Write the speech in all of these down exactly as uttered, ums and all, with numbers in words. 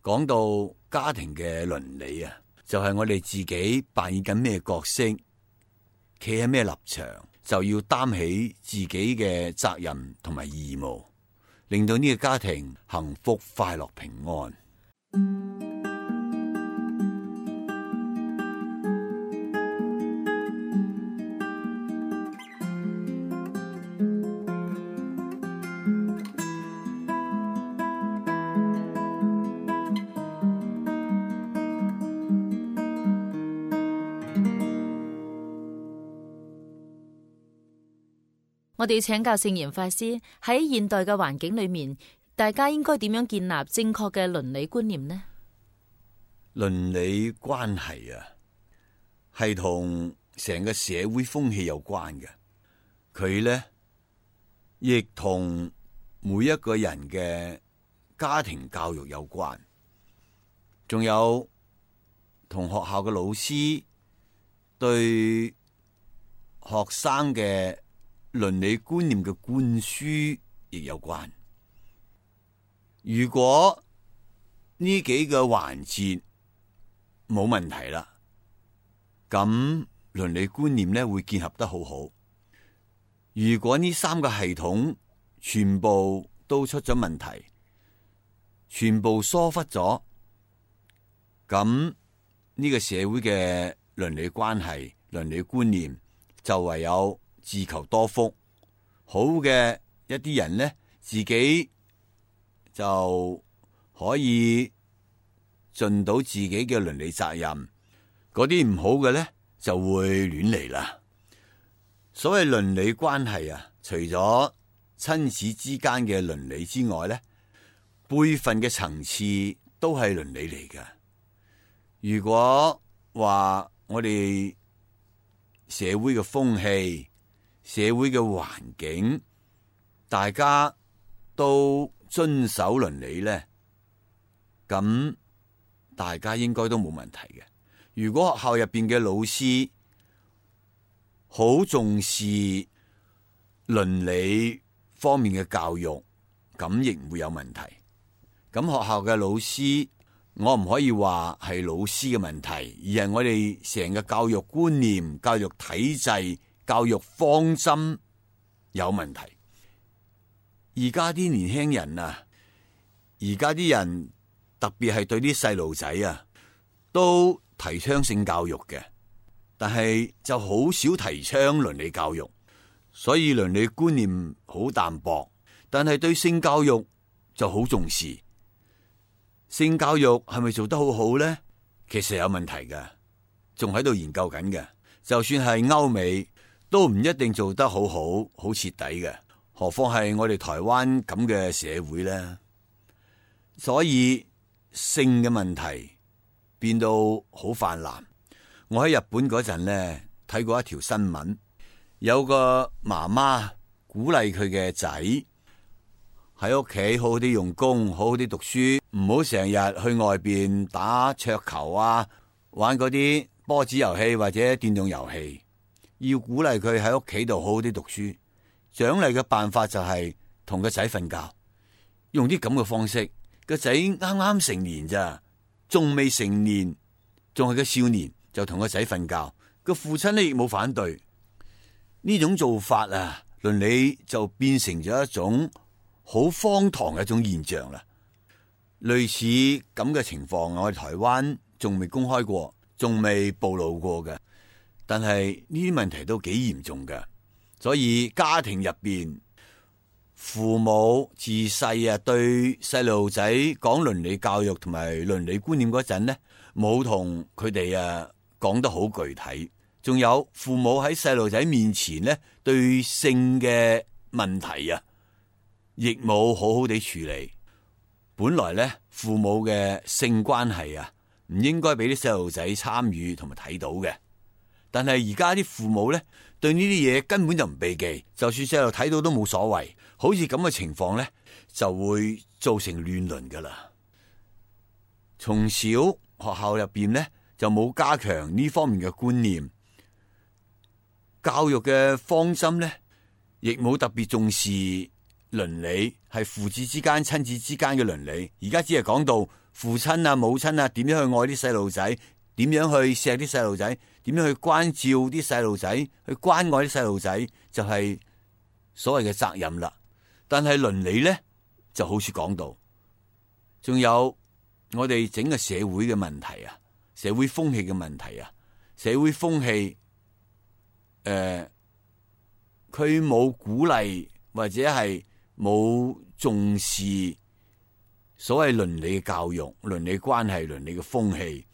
講到家庭嘅倫理啊，就係我哋自己扮演緊咩角色，企喺咩立場，就要擔起自己嘅責任同埋義務，令到呢個家庭幸福、快樂、平安。我哋請教聖嚴法師，喺現代嘅環境裏面，大家應該點樣建立正確嘅倫理觀念呢？倫理關係啊，係同成個社會風氣有關嘅。佢呢亦同每一個人嘅家庭教育有關，仲有同學校嘅老師對學生嘅倫理觀念嘅灌輸亦有關。如果呢幾個環節冇問題啦，咁倫理觀念咧會建立得好好。如果呢三個系統全部都出咗問題，全部疏忽咗，咁呢個社會嘅倫理關係、倫理觀念就唯有自求多福。好嘅一啲人呢，自己就可以盡到自己嘅倫理責任，嗰啲唔好嘅呢，就會亂嚟啦。所謂倫理關係啊，除咗親子之間嘅倫理之外呢，輩分嘅層次都係倫理嚟㗎。如果話我哋社會嘅風氣、社會嘅環境，大家都遵守倫理呢，咁大家應該都冇問題嘅。如果學校入邊嘅老師好重視倫理方面嘅教育，咁亦唔會有問題。咁學校嘅老師，我唔可以話係老師嘅問題，而係我哋成個教育觀念、教育體制、教育方針有問題。而家啲年輕人啊，而家啲人特別係對啲細路仔啊，都提倡性教育嘅，但係就好少提倡倫理教育，所以倫理觀念好淡薄。但係對性教育就好重視。性教育係咪做得好好呢？其實有問題嘅，仲喺度研究緊嘅。就算係歐美，都唔一定做得好好、好徹底嘅。何況係我哋台灣咁嘅社會呢？所以性嘅問題變到好泛濫。我喺日本嗰陣呢，睇過一條新聞，有個媽媽鼓勵佢嘅仔喺屋企好好啲用功，好好啲讀書，唔好成日去外邊打桌球啊，玩嗰啲波子遊戲或者電動遊戲。要鼓勵佢喺屋企度好好啲讀書。獎勵嘅辦法就係同個仔瞓覺，用啲咁嘅方式。個仔啱啱成年咋，仲未成年，仲係個少年，就同個仔瞓覺。個父親呢亦冇反對。呢種做法啊，倫理就變成咗一種好荒唐嘅一種現象啦。類似咁嘅情況，我哋台灣仲未公開過，仲未暴露過嘅。但係呢啲問題都幾嚴重嘅。所以家庭入邊，父母自細啊對細路仔講倫理教育同埋倫理觀念嗰陣呢，冇同佢哋啊講得好具體。仲有父母喺細路仔面前呢，對性嘅問題啊，亦冇好好地處理。本來呢，父母嘅性關係啊，唔應該俾啲細路仔參與同埋睇到嘅。但係而家啲父母呢，對呢啲嘢根本就唔避忌，就算細路睇到都冇所謂。好似咁嘅情況呢，就會造成亂倫噶啦。從小學校入邊呢，就冇加強呢方面嘅觀念，教育嘅方針呢，亦冇特別重視倫理，係父子之間、親子之間嘅倫理。而家只係講到父親啊、母親啊，點樣去愛啲細路仔，點樣去錫啲細路仔，點樣去關照啲細路仔，去關愛啲細路仔，就係所謂嘅責任啦。但係倫理咧，就好似講到，仲有我哋整個社會嘅問題啊，社會風氣嘅問題啊，社會風氣，誒，佢冇鼓勵或者係冇重視所謂倫理嘅教育、倫理關係、倫理嘅風氣，誒、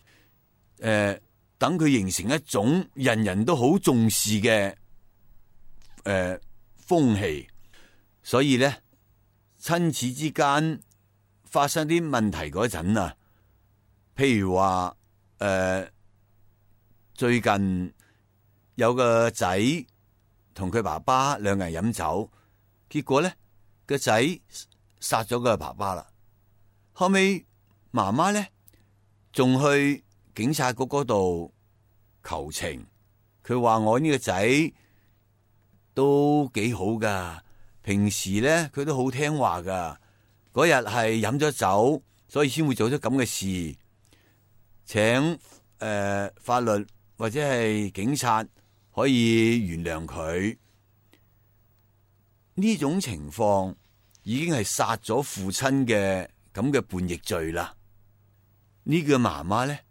呃，等佢形成一種人人都好重視嘅誒、呃、風氣，所以咧，親子之間發生啲問題嗰陣啊，譬如話誒、呃，最近有個仔同佢爸爸兩個人飲酒，結果咧個仔殺咗個爸爸啦。後尾媽媽咧仲去警察局嗰度求情，佢話我呢個仔都幾好噶，平時咧佢都好聽話噶，嗰日係飲咗酒，所以先會做咗咁嘅事，請誒、呃、法律或者係警察可以原諒佢。呢種情況已經係殺咗父親嘅咁嘅叛逆罪啦！呢個媽媽咧，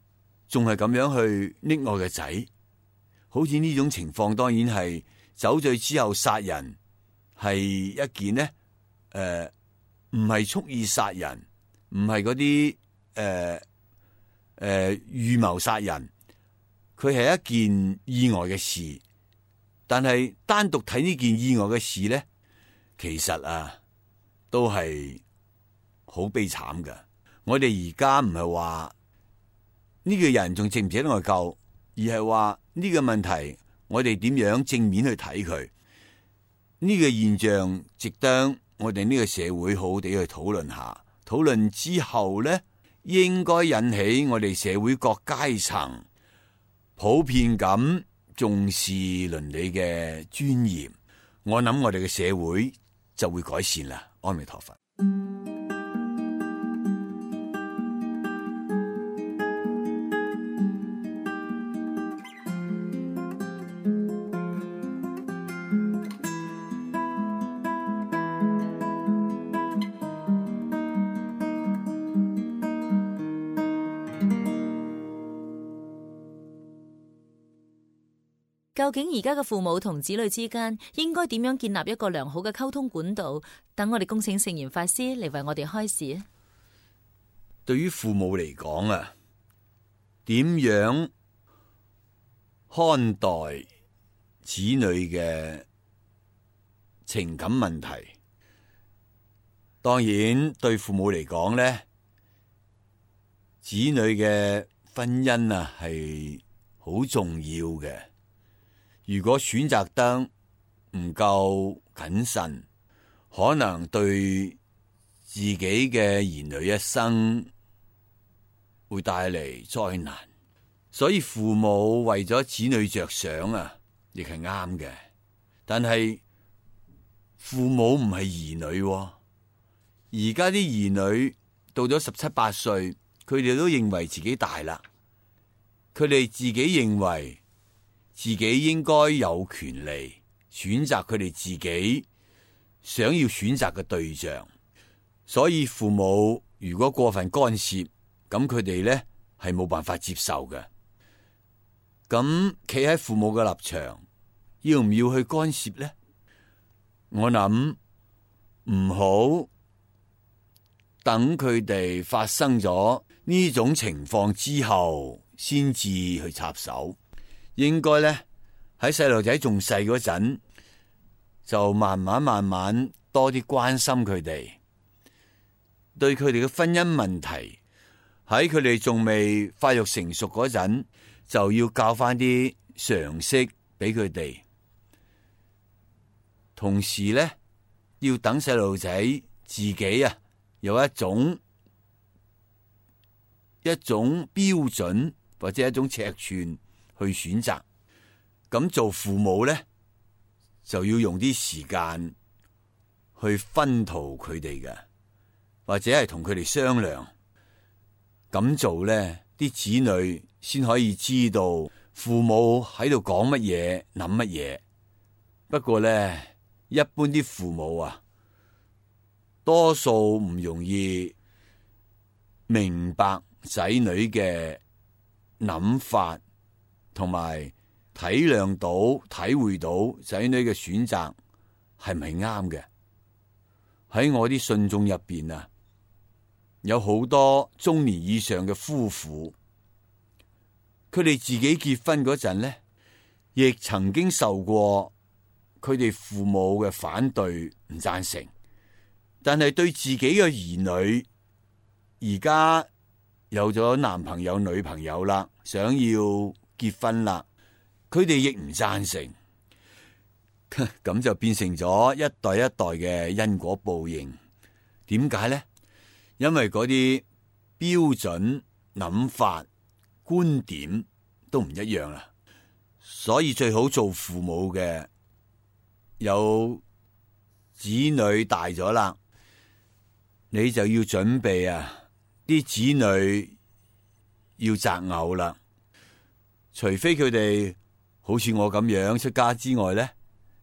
仲係咁樣去溺愛個仔，好似呢種情況，當然係酒醉之後殺人，係一件呢，誒、呃，唔係蓄意殺人，唔係嗰啲誒誒預謀殺人，佢係一件意外嘅事。但係單獨睇呢件意外嘅事咧，其實啊，都係好悲慘噶！我哋而家唔係話呢個人仲值唔值得我救，而係話呢個問題我哋點樣正面去睇佢。呢個現象值得我哋呢個社會好好地去討論下。討論之後咧，應該引起我哋社會各階層普遍咁重視倫理嘅尊嚴。我諗我哋嘅社會就會改善啦。阿彌陀佛。究竟而家嘅父母同子女之間應該點樣建立一個良好嘅溝通管道？等我哋恭請聖嚴法師嚟為我哋開示。對於父母嚟講啊，點樣看待子女嘅情感問題？當然，對父母嚟講咧，子女嘅婚姻啊係好重要嘅。如果選擇得唔夠謹慎，可能對自己嘅兒女一生會帶嚟災難。所以父母為咗子女着想啊，亦係啱嘅。但係父母唔係兒女喎，而家啲兒女到咗十七八歲，佢哋都認為自己大啦，佢哋自己認為自己應該有權利選擇佢哋自己想要選擇嘅對象，所以父母如果過分干涉，咁佢哋咧係冇辦法接受嘅。咁企喺父母嘅立場，要唔要去干涉咧？我諗唔好等佢哋發生咗呢種情況之後，先至去插手。應該咧喺細路仔仲細嗰陣，就慢慢慢慢多啲關心佢哋，對佢哋嘅婚姻問題，喺佢哋仲未發育成熟嗰陣，就要教翻啲常識俾佢哋。同時咧，要等細路仔自己啊有一種一種標準或者一種尺寸去選擇。咁做父母咧，就要用啲時間去熏陶佢哋嘅，或者係同佢哋商量。咁做呢，啲子女先可以知道父母喺度講乜嘢、諗乜嘢。不過呢，一般啲父母啊，多數唔容易明白仔女嘅諗法，同埋體諒到、體會到仔女嘅選擇係咪啱嘅。喺我啲信眾入邊啊，有好多中年以上嘅夫婦，佢哋自己結婚嗰陣呢，亦曾經受過佢哋父母嘅反對，唔贊成，但係對自己嘅兒女而家有咗男朋友、女朋友啦，想要結婚啦，佢哋亦唔贊成，咁就變成咗一代一代嘅因果報應。點解呢？因為嗰啲標準諗法、觀點都唔一樣啦，所以最好做父母嘅，有子女大咗啦，你就要準備啊，啲子女要擇偶啦。除非佢哋好似我咁樣出家之外呢，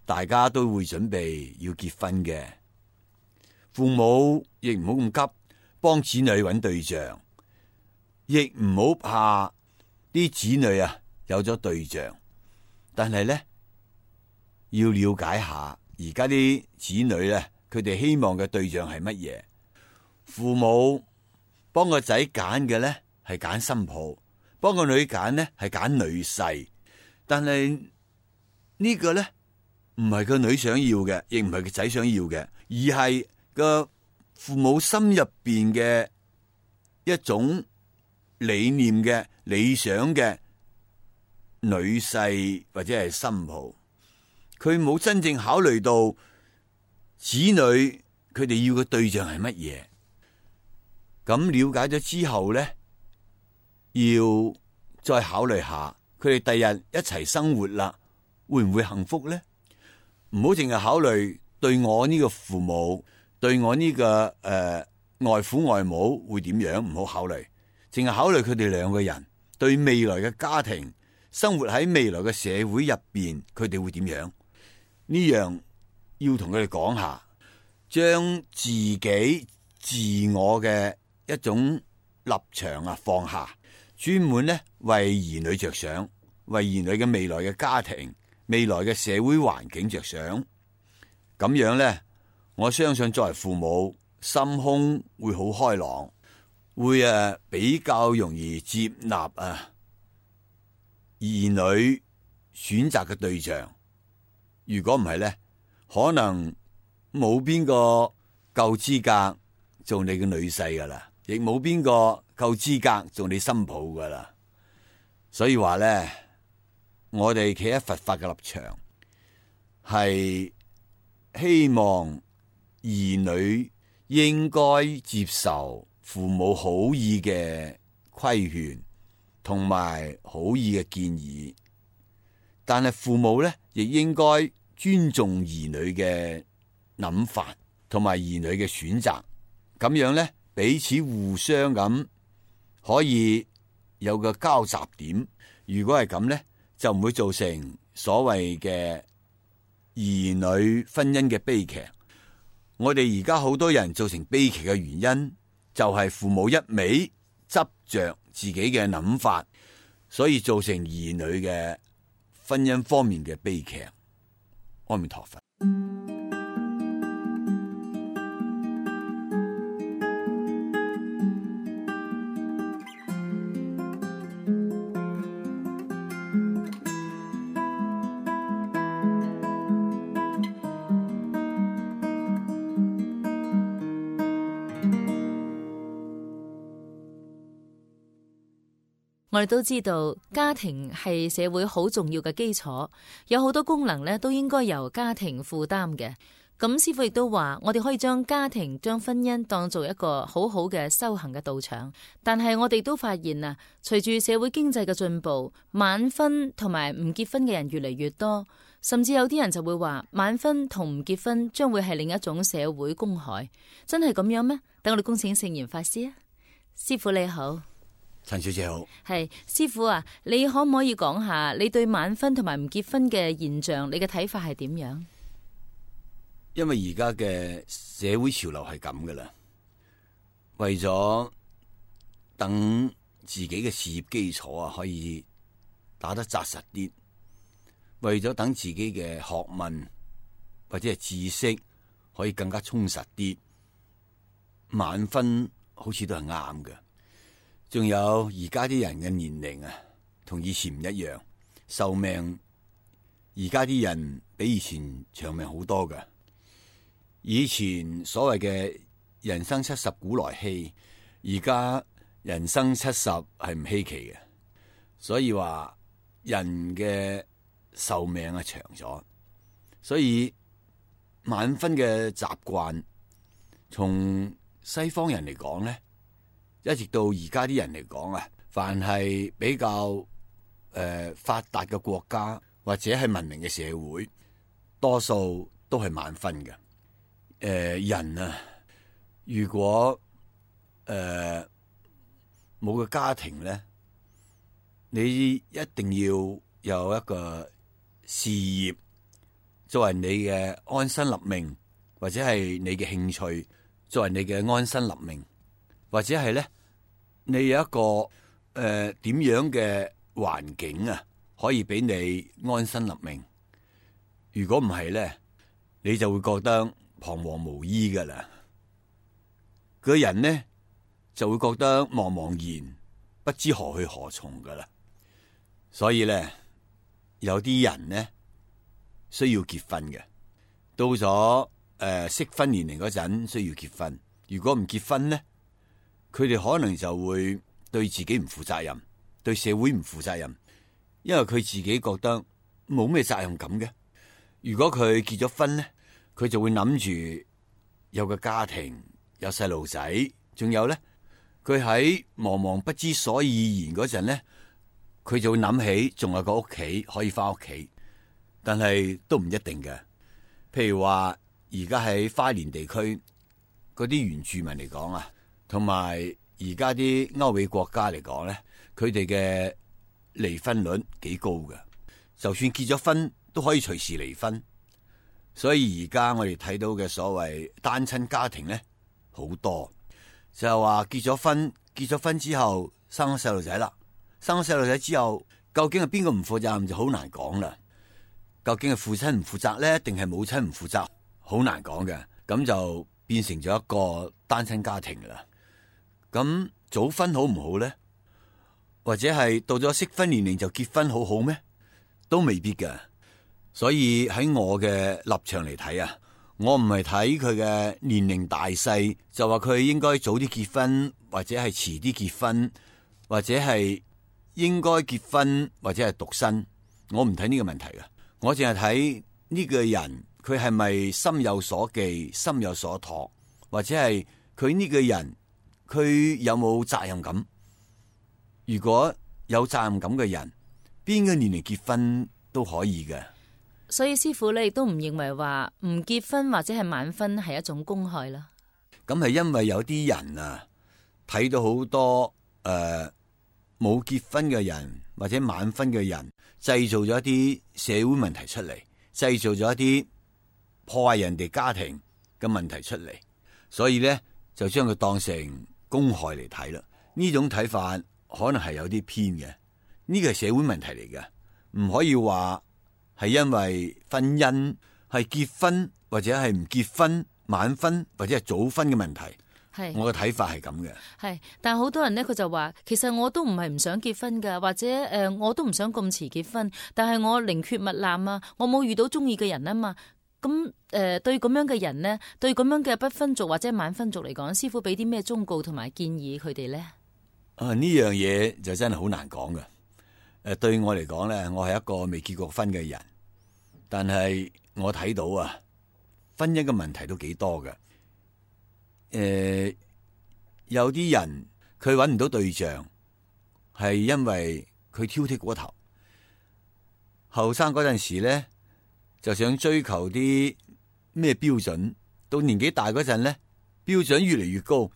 大家都會準備要結婚嘅。父母亦唔好咁急幫子女揾對象，亦唔好怕啲子女啊有咗對象，但係呢，要了解下而家啲子女呢，佢哋希望嘅對象係乜嘢。父母幫個仔揀嘅呢係揀新抱，幫個女揀呢係揀女婿，但係呢個呢唔係個女想要嘅，亦唔係個仔想要嘅，而係個父母心入邊嘅一種理念嘅理想嘅女婿或者係新抱，佢冇真正考慮到子女佢哋要嘅對象係乜嘢。咁了解咗之後呢，要再考慮下佢哋第日一齊生活啦，會唔會幸福呢？唔好淨係考慮對我呢個父母，對我呢、這個誒、呃、外父外母會點樣，唔好考慮，淨係考慮佢哋兩個人對未來嘅家庭生活喺未來嘅社會入邊，佢哋會點樣？呢樣要同佢哋講下，將自己自我嘅一種立場啊放下，專門咧為兒女着想，為兒女嘅未來嘅家庭、未來嘅社會環境着想。咁樣咧，我相信作為父母，心胸會好開朗，會誒比較容易接納啊兒女選擇嘅對象。如果唔係咧，可能冇邊個夠資格做你嘅女婿噶啦，亦冇邊個夠資格做你新抱噶啦。所以話咧，我哋企喺佛法嘅立場，係希望兒女應該接受父母好意嘅規勸同埋好意嘅建議，但係父母咧亦應該尊重兒女嘅諗法同埋兒女嘅選擇，咁樣咧彼此互相咁可以有個交集點。如果係咁咧，就唔會造成所謂嘅兒女婚姻嘅悲劇。我哋而家好多人造成悲劇嘅原因，就係父母一味執着自己嘅諗法，所以造成兒女嘅婚姻方面嘅悲劇。阿彌陀佛。我哋都知道家庭係社會好重要嘅基礎，有好多功能咧都應該由家庭負擔嘅。咁師父亦都話，我哋可以將家庭、將婚姻當做一個好好嘅修行嘅道場。但係我哋都發現啊，隨住社會經濟嘅進步，晚婚同埋唔結婚嘅人越嚟越多，甚至有啲人就會話晚婚同唔結婚將會係另一種社會公害。真係咁樣咩？等我哋恭請聖嚴法師啊。師父你好。陳小姐好。係師傅啊，你可唔可以講下你對晚婚同埋唔結婚嘅現象，你嘅睇法係點樣？因為而家嘅社會潮流係咁噶啦，為咗等自己嘅事業基礎啊可以打得紮實啲，為咗等自己嘅學問或者係知識可以更加充實啲，晚婚好似都係啱嘅。仲有而家啲人嘅年齡啊，同以前唔一樣，壽命而家啲人比以前長命好多㗎。以前所謂嘅人生七十古來稀，而家人生七十係唔稀奇嘅，所以話人嘅壽命啊長咗，所以晚婚嘅習慣，從西方人嚟講咧，一直到而家啲人嚟講啊，凡係比較誒、呃、發達嘅國家或者係文明嘅社會，多數都係晚婚嘅。誒、呃，人啊，如果誒冇個家庭咧，你一定要有一個事業作為你嘅安身立命，或者係你嘅興趣作為你嘅安身立命，或者係咧你有一個誒點、呃、樣嘅環境啊，可以俾你安身立命。如果唔係咧，你就會覺得彷徨無依噶啦，個人呢就會覺得茫茫然，不知何去何從噶啦。所以咧，有啲人呢需要結婚嘅，到咗誒適婚年齡嗰陣需要結婚。如果唔結婚呢，佢哋可能就會對自己唔負責任，對社會唔負責任，因為佢自己覺得冇咩責任感嘅。如果佢結咗婚呢，佢就會諗住有個家庭，有細路仔，仲有咧，佢喺茫茫不知所以然嗰陣咧，佢就會諗起仲有個屋企可以翻屋企，但係都唔一定嘅。譬如話而家喺花蓮地區嗰啲原住民嚟講啊，同埋而家啲歐美國家嚟講咧，佢哋嘅離婚率幾高嘅，就算結咗婚都可以隨時離婚。所以而家我哋睇到嘅所謂單親家庭咧，好多就係話結咗婚，結咗婚之後生咗細路仔啦，生咗細路仔之後，究竟係邊個唔負責任就好難講啦。究竟係父親唔負責咧，定係母親唔負責，好難講嘅。咁就變成咗一個單親家庭啦。咁早婚好唔好咧？或者係到咗適婚年齡就結婚好好咩？都未必㗎。所以喺我嘅立場嚟睇啊，我唔係睇佢嘅年齡大細，就話佢應該早啲結婚，或者係遲啲結婚，或者係應該結婚，或者係獨身。我唔睇呢個問題嘅，我淨係睇呢個人佢係咪心有所寄、心有所託，或者係佢呢個人佢有冇責任感。如果有責任感嘅人，邊個年齡結婚都可以嘅。所以師傅咧亦都唔認為話唔結婚或者係晚婚係一種公害啦。咁係因為有啲人啊睇到好多誒冇結婚嘅人或者晚婚嘅人，製造咗一啲社會問題出嚟，製造咗一啲破壞人哋家庭嘅問題出嚟，所以咧就將佢當成公害嚟睇啦。呢種睇法可能係有啲偏嘅，呢個係社會問題嚟嘅，唔可以話係因為婚姻係結婚或者係唔結婚、晚婚或者係早婚嘅問題。係我嘅睇法係咁嘅。係，但係好多人呢，佢就話，其實我都唔係唔想結婚噶，或者誒、呃，我都唔想咁遲結婚，但係我寧缺勿濫啊，我冇遇到中意嘅人啊嘛。咁誒、呃，對咁樣嘅人呢，對咁樣嘅不婚族或者晚婚族嚟講，師傅俾啲咩忠告同埋建議佢哋咧？啊，呢樣嘢就真係好難講嘅。誒，對我嚟講咧，我係一個未結過婚嘅人，但係我睇到啊，婚姻嘅問題都幾多嘅。誒，有啲人佢搵唔到對象，係因為佢挑剔過頭。後生嗰陣時咧，就想追求啲咩標準，到年紀大嗰陣咧，標準越嚟越高，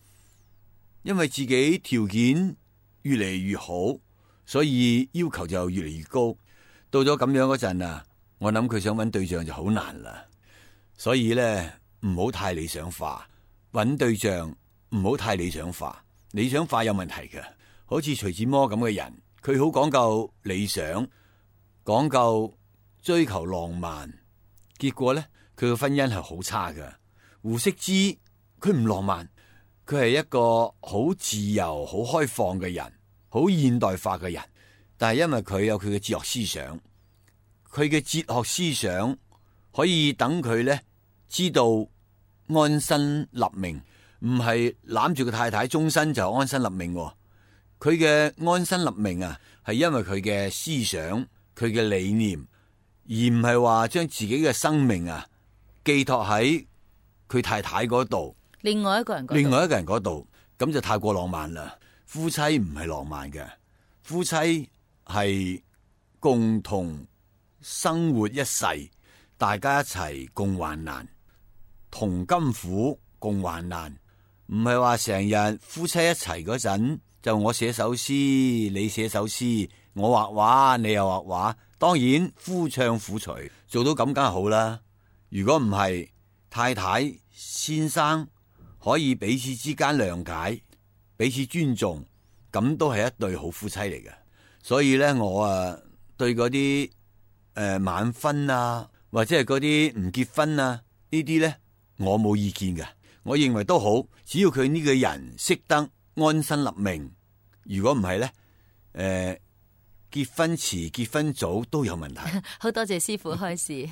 因為自己條件越嚟越好，所以要求就越嚟越高。到咗咁樣嗰陣啊，我諗佢想揾對象就好難啦。所以咧，唔好太理想化，揾對象唔好太理想化。理想化有問題嘅，好似徐志摩咁嘅人，佢好講究理想，講究追求浪漫，結果咧佢嘅婚姻係好差嘅。胡適之佢唔浪漫，佢係一個好自由、好開放嘅人，好現代化嘅人。但係因為佢有佢嘅哲學思想，佢嘅哲學思想可以等佢咧知道安身立命，唔係攬住個太太終身就安身立命。佢嘅安身立命啊，係因為佢嘅思想、佢嘅理念，而唔係話將自己嘅生命啊寄託喺佢太太嗰度，另外一個人嗰度，另外一個人嗰度，咁就太過浪漫啦。夫妻唔係浪漫嘅，夫妻係共同生活一世，大家一齊共患難，同甘苦共患難，唔係話成日夫妻一齊嗰陣就我寫首詩，你寫首詩，我畫畫，你又畫畫。當然夫唱婦隨，做到咁梗係好啦。如果唔係，太太先生可以彼此之間諒解，彼此尊重，咁都係一對好夫妻嚟嘅。所以咧，我啊對嗰啲誒晚婚啊，或者係嗰啲唔結婚啊呢啲咧，我冇意見嘅。我認為都好，只要佢呢個人識得安身立命。如果唔係咧，誒、呃、結婚遲結婚早都有問題。好多謝師父開示。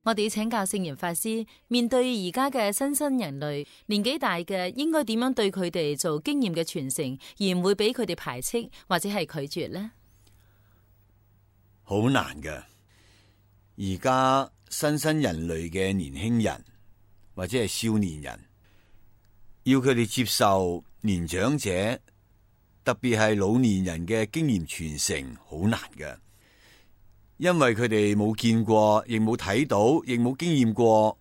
我哋要請教聖嚴法師，面對而家嘅新生人類，年紀大嘅應該點樣對佢哋做經驗嘅傳承，而唔會俾佢哋排斥或者係拒絕呢？好難嘅。而家新生人類嘅年輕人或者係少年人，要佢哋接受年長者，特別係老年人嘅經驗傳承，好難嘅。因為佢哋冇見過，亦冇睇到，亦冇經驗過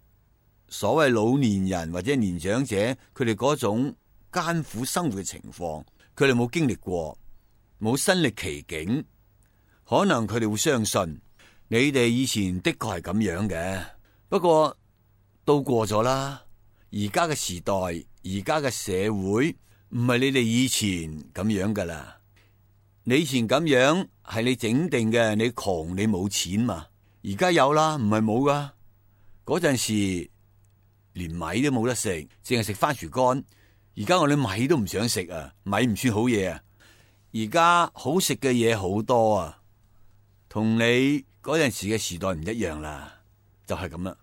所謂老年人或者年長者佢哋嗰種艱苦生活嘅情況，佢哋冇經歷過，冇身歷其境，可能佢哋會相信你哋以前的確係咁樣嘅。不過都過咗啦，而家嘅時代，而家嘅社會唔係你哋以前咁樣噶啦。你以前咁樣係你整定嘅，你窮你冇錢嘛？而家有啦，唔係冇噶。嗰陣時連米都冇得食，淨係食番薯乾。而家我哋米都唔想食啊，米唔算好嘢啊。而家好食嘅嘢好多啊，同你嗰陣時嘅時代唔一樣啦，就係咁啦。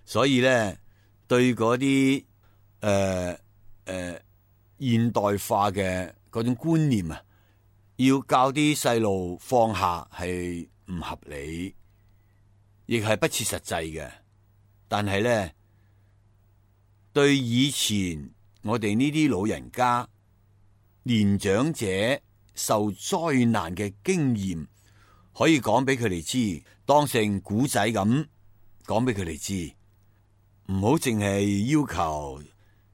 所以咧，對嗰啲誒誒現代化嘅嗰種觀念啊，要教啲細路放下係唔合理，亦係不切實際嘅。但係咧，對以前我哋呢啲老人家、年長者受災難嘅經驗，可以講俾佢哋知，當成古仔咁講俾佢哋知，唔好淨係要求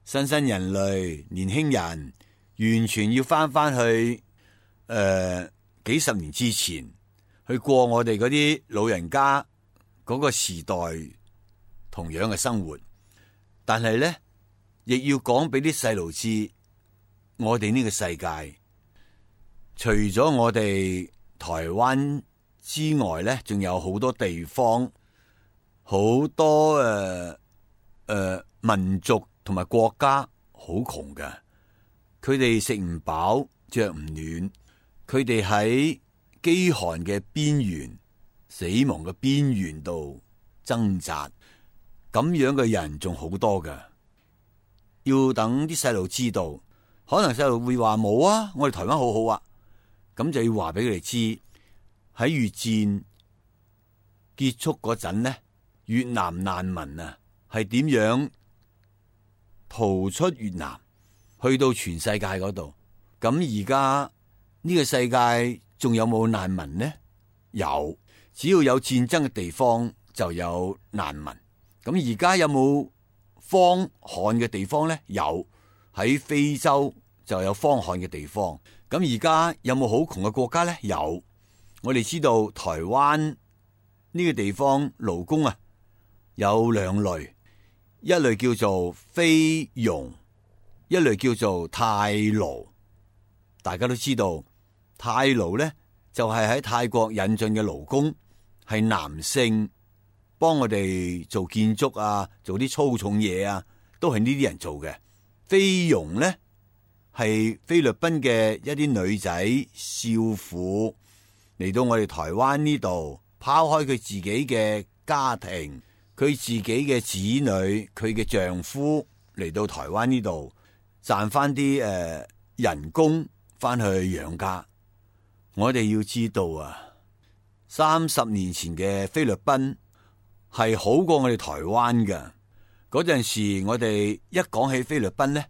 新生人類、年輕人完全要翻翻去。誒、呃，幾十年之前去過我哋嗰啲老人家嗰個時代同樣嘅生活，但係咧亦要講俾啲細路知，我哋呢個世界除咗我哋台灣之外咧，仲有好多地方，好多誒誒、呃呃、民族同埋國家好窮㗎，佢哋食唔飽，着唔暖。佢哋喺飢寒嘅邊緣、死亡嘅邊緣度掙扎，咁樣嘅人仲好多㗎。要等啲細路知道，可能細路會話冇啊，我哋台灣好好啊，咁就要話俾佢哋知，喺越戰結束嗰陣呢，越南難民啊，係點樣逃出越南，去到全世界嗰度。咁而家呢個世界仲有冇難民呢？有，只要有戰爭嘅地方就有難民。咁而家有冇荒旱嘅地方呢？有，喺非洲就有荒旱嘅地方。咁而家有冇好窮嘅國家呢？有。我哋知道台灣呢個地方勞工啊有兩類，一類叫做菲傭，一類叫做泰勞。大家都知道泰勞呢就係喺泰國引進嘅勞工，係男性，幫我哋做建築啊，做啲粗重嘢啊，都係呢啲人做嘅。菲傭呢係菲律賓嘅一啲女仔少婦嚟到我哋台灣呢度，拋開佢自己嘅家庭，佢自己嘅子女，佢嘅丈夫嚟到台灣呢度賺翻啲誒人工翻去養家。我哋要知道啊，三十年前嘅菲律賓係好過我哋台灣嘅。嗰陣時我哋一講起菲律賓呢，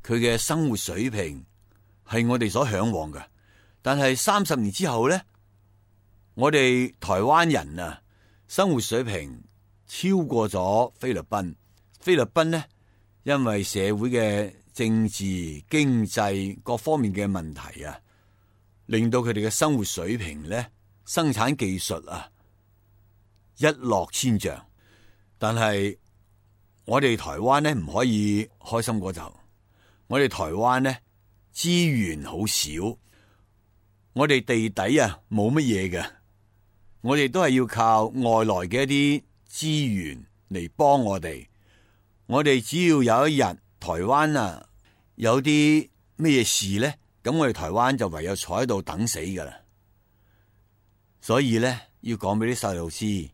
佢嘅生活水平係我哋所向往嘅。但係三十年之後呢，我哋台灣人啊，生活水平超過咗菲律賓。菲律賓呢，因為社會嘅政治、經濟各方面嘅問題啊，令到佢哋嘅生活水平呢，生產技術啊一落千丈。但係我哋台灣呢，唔可以開心過頭。我哋台灣呢，資源好少，我哋地底啊冇乜嘢嘅。我哋都係要靠外來嘅一啲資源嚟幫我哋。我哋只要有一日台灣啊有啲咩事呢，咁我哋台灣就唯有坐喺度等死噶啦。所以呢，要講俾啲細路知，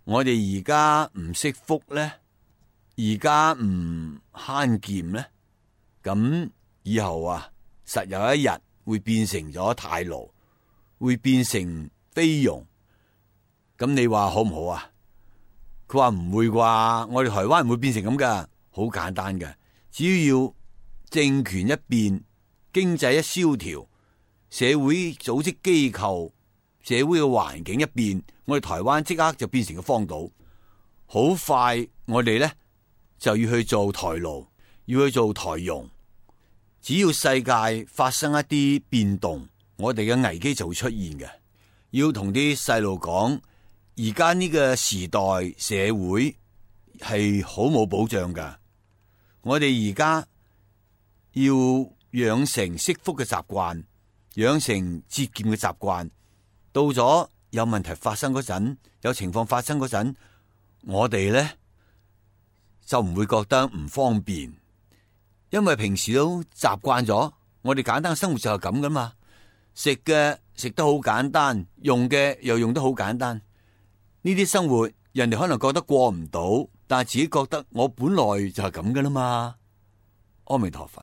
我哋而家唔識福呢，而家唔慳儉呢，咁以後啊實有一日會變成咗泰勞，會變成菲傭。咁你話好唔好啊？佢話唔會啩，我哋台灣唔會變成咁噶，好簡單嘅，只要政權一變，經濟一蕭條，社會組織機構、社會嘅環境一變，我哋台灣即刻就變成個荒島。好快我哋呢就要去做台勞，要去做台傭。只要世界發生一啲變動，我哋嘅危機就會出現嘅。要同啲細路講，而家呢個時代社會係好冇保障噶。我哋而家要養成惜福嘅習慣，養成節儉嘅習慣。到咗有問題發生嗰陣，有情況發生嗰陣，我哋呢就唔會覺得唔方便，因為平時都習慣咗。我哋簡單嘅生活就係咁噶嘛，食嘅食得好簡單，用嘅又用得好簡單。呢啲生活人哋可能覺得過唔到，但係自己覺得我本來就係咁噶啦嘛。阿彌陀佛。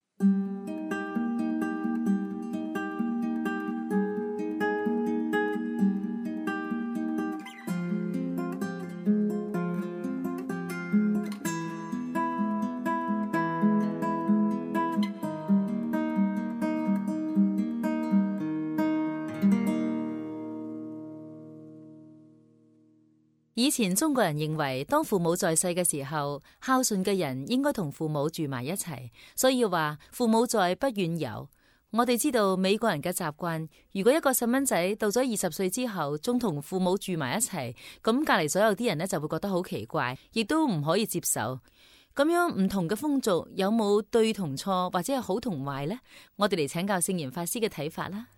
以前中國人認為，當父母在世嘅時候，孝順嘅人應該同父母住埋一齊，所以話父母在，不遠遊。我哋知道美國人嘅習慣，如果一個細蚊仔到咗二十歲之後，仲同父母住埋一齊，咁隔籬所有啲人呢就會覺得好奇怪，亦都唔可以接受。咁樣唔同嘅風俗有冇對同錯，或者係好同壞呢？我哋嚟請教聖嚴法師嘅睇法啦。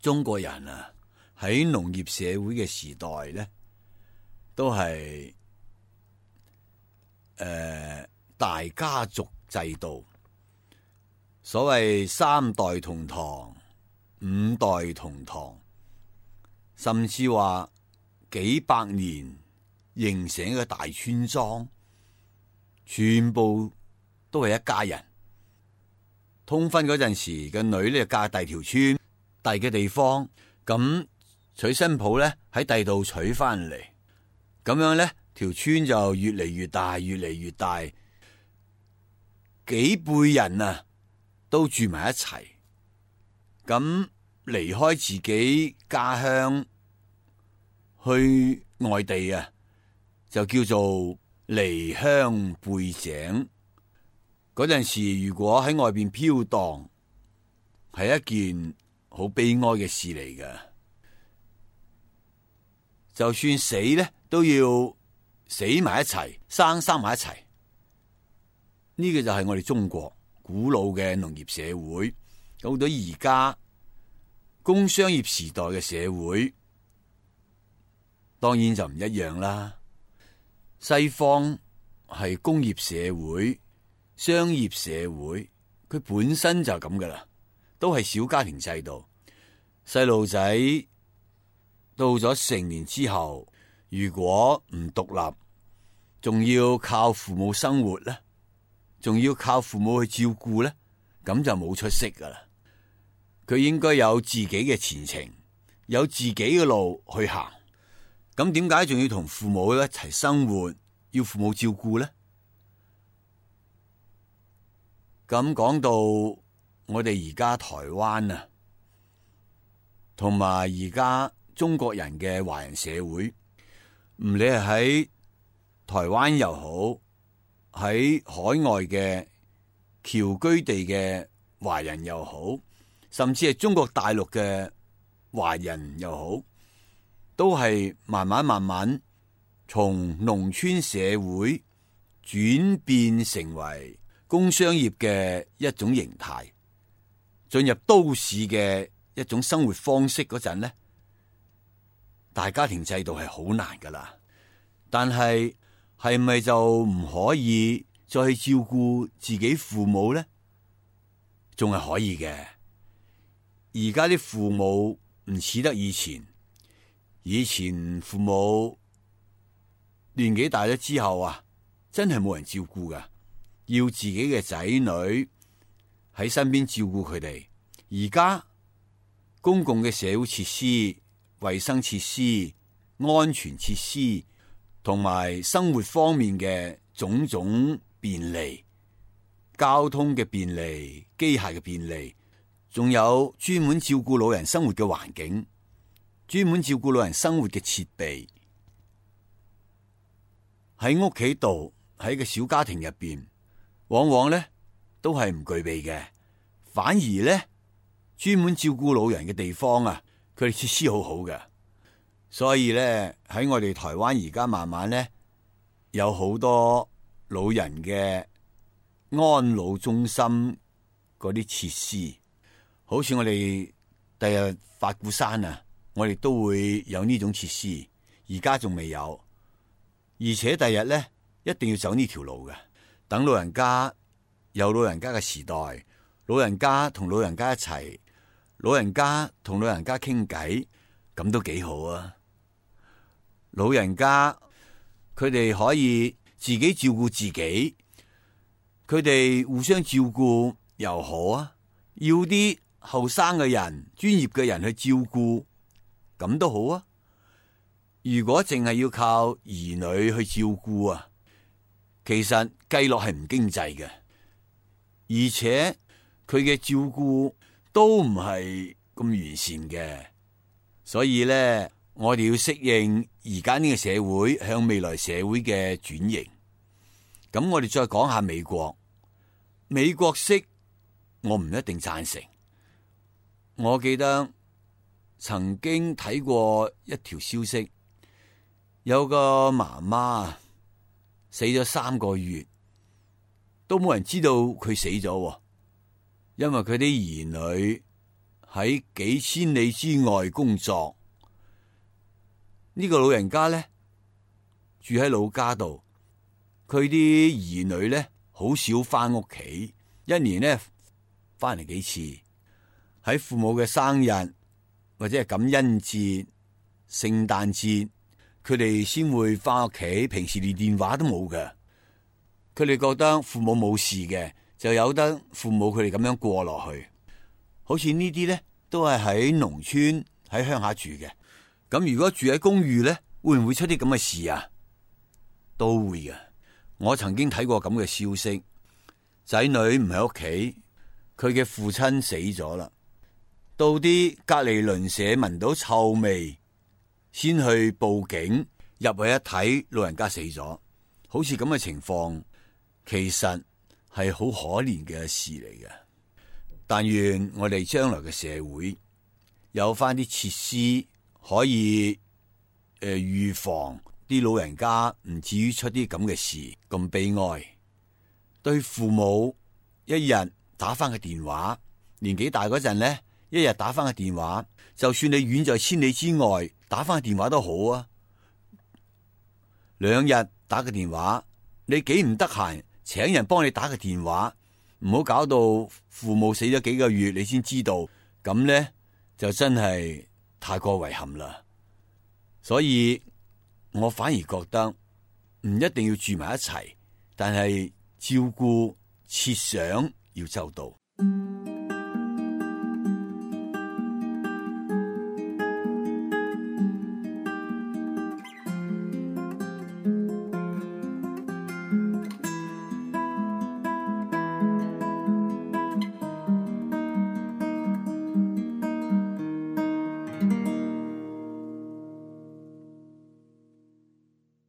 中國人啊，喺農業社會嘅時代呢，都係誒、呃、大家族制度，所謂三代同堂、五代同堂，甚至話幾百年形成一個大村莊，全部都係一家人。通婚嗰陣時，個女咧嫁第二條村、第嘅地方，咁娶新抱咧喺第度娶翻嚟。咁樣呢條村就越嚟越大，越嚟越大，幾輩人啊都住埋一齊。咁離開自己家鄉去外地啊，就叫做離鄉背井。嗰陣時如果喺外邊飄蕩，係一件好悲哀嘅事嚟㗎。就算死呢，都要死埋一齊，生生埋一齊。呢個就係我哋中國古老嘅農業社會。到到而家工商業時代嘅社會，當然就唔一樣啦。西方係工業社會、商業社會，佢本身就咁噶啦，都係小家庭制度。細路仔到咗成年之後，如果唔獨立，仲要靠父母生活咧，仲要靠父母去照顧咧，咁就冇出息噶啦。佢應該有自己嘅前程，有自己嘅路去行。咁點解仲要同父母一齊生活，要父母照顧呢？咁講到我哋而家台灣啊，同埋而家中國人嘅華人社會，唔理係喺台灣又好，喺海外嘅僑居地嘅華人又好，甚至係中國大陸嘅華人又好，都係慢慢慢慢從農村社會轉變成為工商業嘅一種形態，進入都市嘅一種生活方式嗰陣呢，大家庭制度係好難噶啦。但係係咪就唔可以再去照顧自己父母呢？仲係可以嘅。而家啲父母唔似得以前，以前父母年紀大咗之後啊，真係冇人照顧噶，要自己嘅仔女喺身邊照顧佢哋。而家公共嘅社會設施、衛生設施、安全設施同埋生活方面嘅種種便利，交通嘅便利、機械嘅便利，仲有專門照顧老人生活嘅環境，專門照顧老人生活嘅設備，喺屋企度，喺個小家庭入邊，往往咧都係唔具備嘅。反而咧，專門照顧老人嘅地方啊，佢哋設施好好嘅。所以咧，喺我哋台灣而家慢慢咧，有好多老人嘅安老中心嗰啲設施。好似我哋第日法鼓山啊，我哋都會有呢種設施，而家仲未有，而且第日咧一定要走呢條路嘅。等老人家有老人家嘅時代，老人家同老人家一齊，老人家同老人家傾偈，咁都幾好啊！老人家佢哋可以自己照顧自己，佢哋互相照顧又好啊，要啲後生嘅人、專業嘅人去照顧，咁都好啊。如果淨係要靠兒女去照顧啊，其實計落係唔經濟嘅，而且佢嘅照顧都唔係咁完善嘅。所以咧，我哋要適應而家呢個社會向未來社會嘅轉型。咁我哋再講下美國，美國式我唔一定贊成。我記得曾經睇過一條消息，有個媽媽死咗三個月，都冇人知道佢死咗，因為佢啲兒女喺幾千里之外工作。呢個老人家咧住喺老家度，佢啲兒女咧好少翻屋企，一年咧翻嚟幾次。喺父母嘅生日或者係感恩節、聖誕節，佢哋先會翻屋企，平時連電話都冇嘅。佢哋覺得父母冇事嘅，就由得父母佢哋咁樣過落去。好似呢啲咧都係喺農村喺鄉下住嘅。咁如果住喺公寓咧，會唔會出啲咁嘅事啊？都會嘅。我曾經睇過咁嘅消息，仔女唔喺屋企，佢嘅父親死咗啦，到啲隔離鄰舍聞到臭味，先去報警，入去一睇，老人家死咗。好似咁嘅情況，其實係好可憐嘅事嚟嘅。但願我哋將來嘅社會有翻啲設施，可以誒預防啲老人家唔至於出啲咁嘅事咁悲哀。對父母一日打翻個電話，年紀大嗰陣呢，一日打翻個電話，就算你遠在千里之外，打翻個電話都好啊。兩日打個電話，你幾唔得閒，請人幫你打個電話，唔好搞到父母死咗幾個月你先知道，咁呢就真係太過遺憾啦。所以我反而覺得唔一定要住埋一齊，但係照顧設想要周到。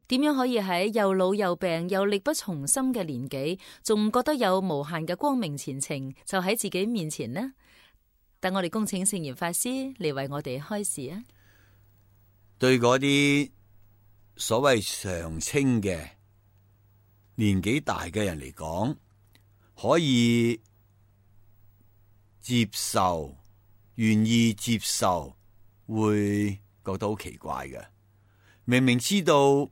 點樣可以喺又老又病又力不從心嘅年紀，仲覺得有無限嘅光明前程就喺自己面前呢？等我哋恭請聖嚴法師嚟為我哋開示啊！對嗰啲所謂常青嘅年紀大嘅人嚟講，可以接受、願意接受，會覺得好奇怪嘅。明明知道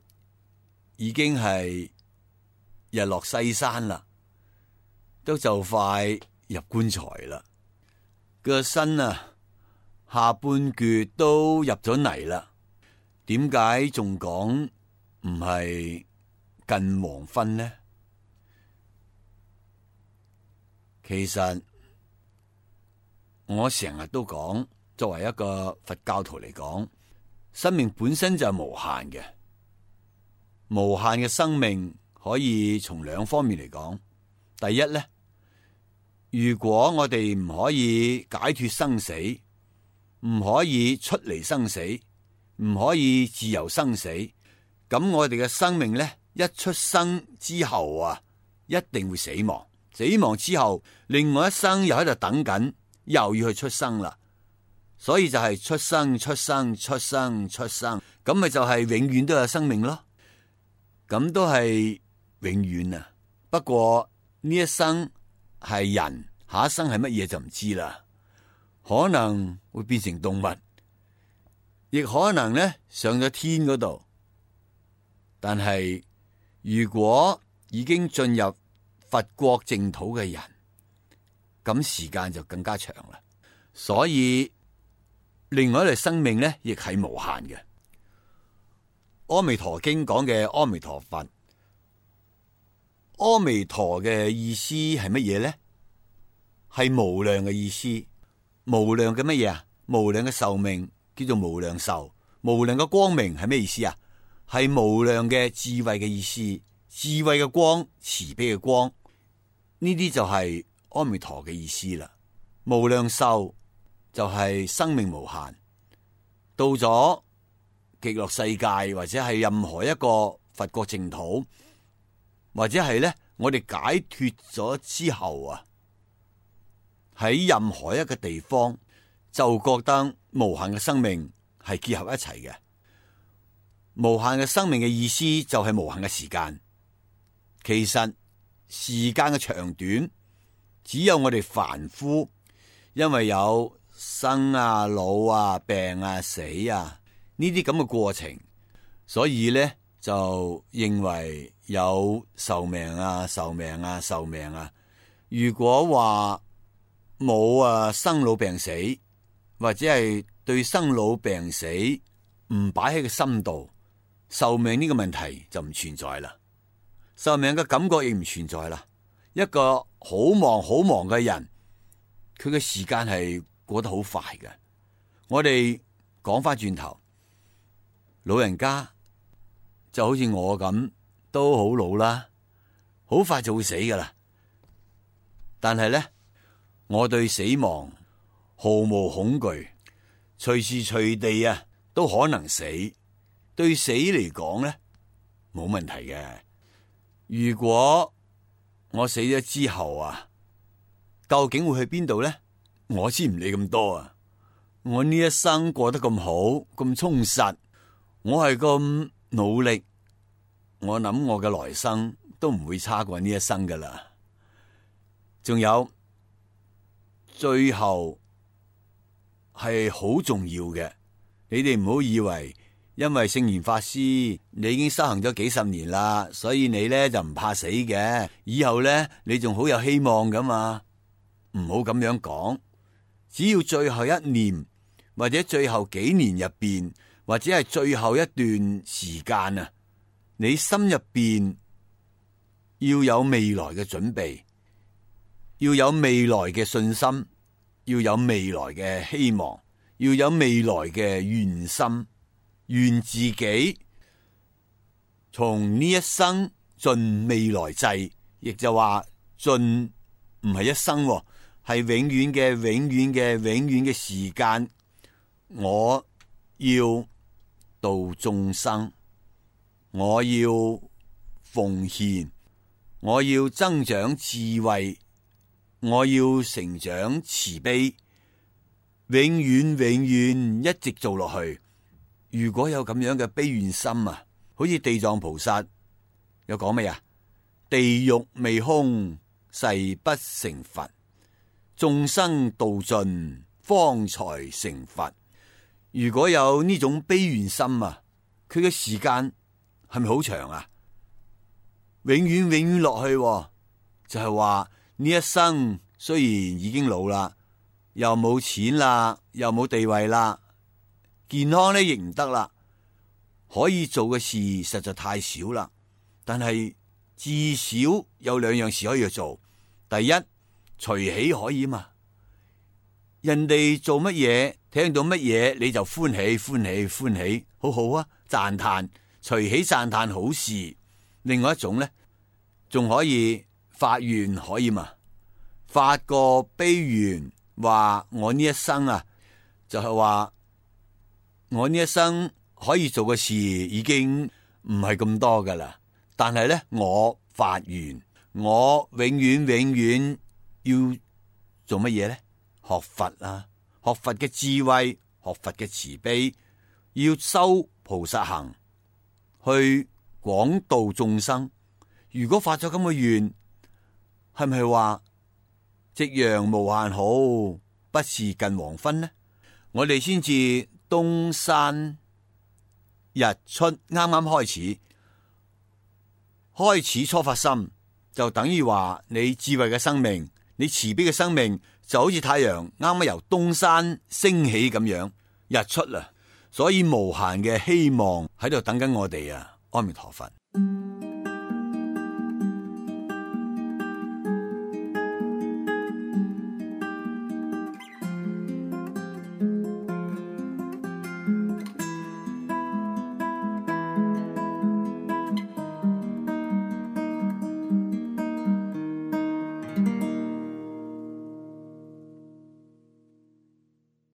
已經係日落西山啦，都就快入棺材啦，個身啊下半橛都入咗泥啦，點解仲講唔係近黃昏呢？其實我成日都講，作為一個佛教徒嚟講，生命本身就係無限嘅。無限嘅生命可以從兩方面嚟講。第一咧，如果我哋唔可以解脫生死，唔可以出離生死，唔可以自由生死，咁我哋嘅生命咧，一出生之後啊，一定會死亡。死亡之後，另外一生又喺度等緊，又要去出生啦。所以就係出生、出生、出生、出生，咁咪就係永遠都有生命咯。咁都係永遠啊！不過呢一生係人，下一生係乜嘢就唔知啦。可能會變成動物，亦可能咧上咗天嗰度。但係如果已經進入佛國淨土嘅人，咁時間就更加長啦。所以另外一類生命咧，亦係無限嘅。阿彌陀經講嘅阿彌陀佛，阿彌陀嘅意思係乜嘢咧？係無量嘅意思，無量嘅乜嘢啊？無量嘅壽命叫做無量壽，無量嘅光明係咩意思啊？係無量嘅智慧嘅意思，智慧嘅光，慈悲嘅光，呢啲就係阿彌陀嘅意思啦。無量壽就係生命無限，到咗極樂世界或者係任何一個佛國淨土，或者係咧我哋解脫咗之後啊，喺任何一個地方就覺得無限嘅生命係結合一齊嘅。無限嘅生命嘅意思就係無限嘅時間。其實時間嘅長短，只有我哋凡夫，因為有生啊、老啊、病啊、死啊呢啲咁嘅過程，所以咧就認為有壽命啊、壽命啊、壽命啊。如果話冇啊生老病死，或者係對生老病死唔擺喺個心度，壽命呢個問題就唔存在啦。壽命嘅感覺亦唔存在啦。一個好忙好忙嘅人，佢嘅時間係過得好快嘅。我哋講翻轉頭，老人家就好似我咁，都好老啦，好快就會死噶啦。但係咧，我對死亡毫無恐懼，隨時隨地啊都可能死。對死嚟講咧，冇問題嘅。如果我死咗之後啊，究竟會去邊度咧？我先唔理咁多啊！我呢一生過得咁好，咁充實，我係咁努力，我諗我嘅來生都唔會差過呢一生噶啦。仲有，最後係好重要嘅，你哋唔好以為因為聖嚴法師你已經修行咗幾十年啦，所以你咧就唔怕死嘅，以後咧你仲好有希望噶嘛。唔好咁樣講，只要最後一年或者最後幾年入邊，或者係最後一段時間啊，你心入邊要有未來嘅準備，要有未來嘅信心，要有未來嘅希望，要有未來嘅願心，願自己從呢一生盡未來際，亦就話盡唔係一生，係永遠嘅、永遠嘅、永遠嘅時間。我要度眾生，我要奉獻，我要增長智慧，我要成長慈悲，永遠永遠一直做落去。如果有咁樣嘅悲願心啊，好似地藏菩薩有講咩啊？地獄未空，誓不成佛，眾生度盡，方才成佛。如果有呢種悲願心啊，佢嘅時間係咪好長啊？永遠永遠落去，就係話呢一生雖然已經老啦，又冇錢啦，又冇地位啦，健康咧亦唔得啦，可以做嘅事實在太少啦。但係至少有兩樣事可以去做。第一，隨喜可以嘛，人哋做乜嘢，聽到乜嘢你就歡喜歡喜歡喜，好好啊，讚嘆，隨喜讚嘆好事。另外一種咧，仲可以發願可以嘛，發個悲願，話我呢一生啊，就係話我呢一生可以做嘅事已經唔係咁多噶啦，但係咧我發願，我永遠永遠要做乜嘢咧？學佛啊，學佛嘅智慧，學佛嘅慈悲，要修菩薩行，去廣度眾生。如果發咗咁嘅願，係咪話夕陽無限好，不是近黃昏呢？我哋先至東山日出啱啱開始，開始初發心，就等於話你智慧嘅生命，你慈悲嘅生命，就好似太陽啱啱由東山升起咁樣，日出啦。所以無限嘅希望喺度等緊我哋啊！阿彌陀佛。